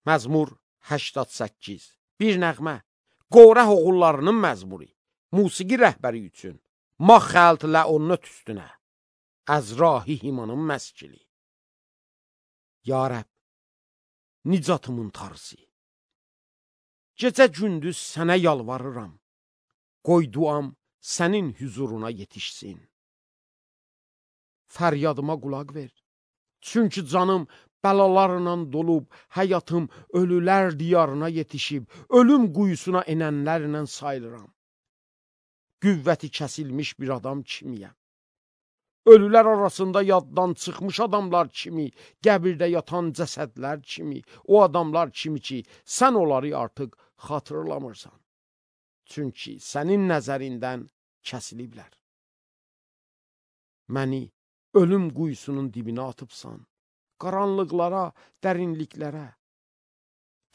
Məzmur 88. Bir nəğmə. Qorəh oğullarının məzmuri. Musiqi rəhbəri üçün. Ma xəlt ləonnət üstünə. Əzrahi himanın məskili. Ya Rəbb, nicatımın tarısı. Gecə gündüz sənə yalvarıram. Qoy duam sənin hüzuruna yetişsin. Fəryadıma qulaq ver. Çünki canım bəlalarla dolub, həyatım ölülər diyarına yetişib, ölüm quyusuna enənlərlə sayılıram. Qüvvəti kəsilmiş bir adam kimiyəm. Ölülər arasında yaddan çıxmış adamlar kimi, qəbirdə yatan cəsədlər kimi, o adamlar kimi ki, sən onları artıq xatırlamırsan. Çünki sənin nəzərindən kəsiliblər. Məni ölüm quyusunun dibinə atıbsan, qaranlıqlara, dərinliklərə.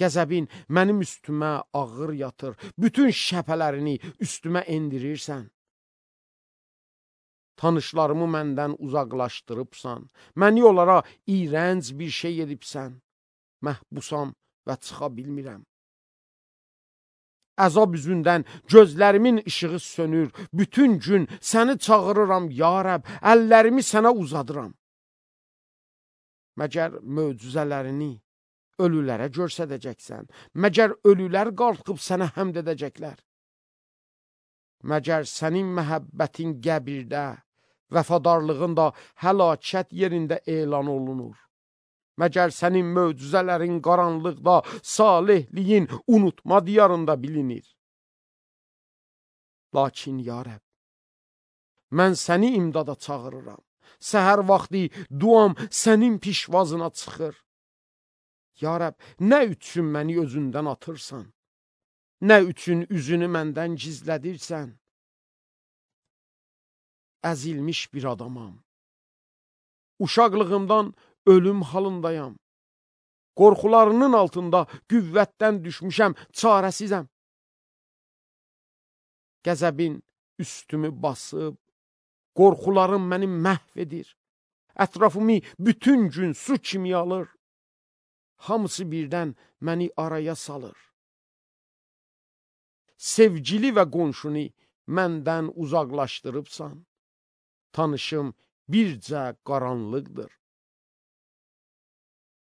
Qəzəbin mənim üstümə ağır yatır, bütün şəpələrini üstümə endirirsən. Tanışlarımı məndən uzaqlaşdırıbsan, məni onlara iyrənc bir şey edibsən. Məhbusam və çıxa bilmirəm. Əzab üzündən gözlərimin işığı sönür, bütün gün səni çağırıram, ya Rəbb, əllərimi sənə uzadıram. Məgər möcüzələrini ölülərə göstərəcəksən, məgər ölülər qalxıb sənə həmd edəcəklər. Məgər sənin məhəbbətin qəbirdə, vəfadarlığın da həlakət yerində elan olunur. Məgər sənin möcüzələrin qaranlıqda, salihliyin unutma diyarında bilinir. Lakin ya Rəbb, mən səni imdada çağırıram. Səhər vaxtı duam sənin pişvazına çıxır. Ya Rəbb, nə üçün məni özündən atırsan? Nə üçün üzünü məndən gizlədirsən? Əzilmiş bir adamam. Uşaqlığımdan ölüm halındayam. Qorxularının altında qüvvətdən düşmüşəm, çarəsizəm. Qəzəbin üstümü basıb, qorxularım məni məhv edir. Ətrafımı bütün gün su kimi alır. Hamısı birdən məni araya salır. Sevgili və qonşunu məndən uzaqlaşdırıbsan. Tanışım bircə qaranlıqdır.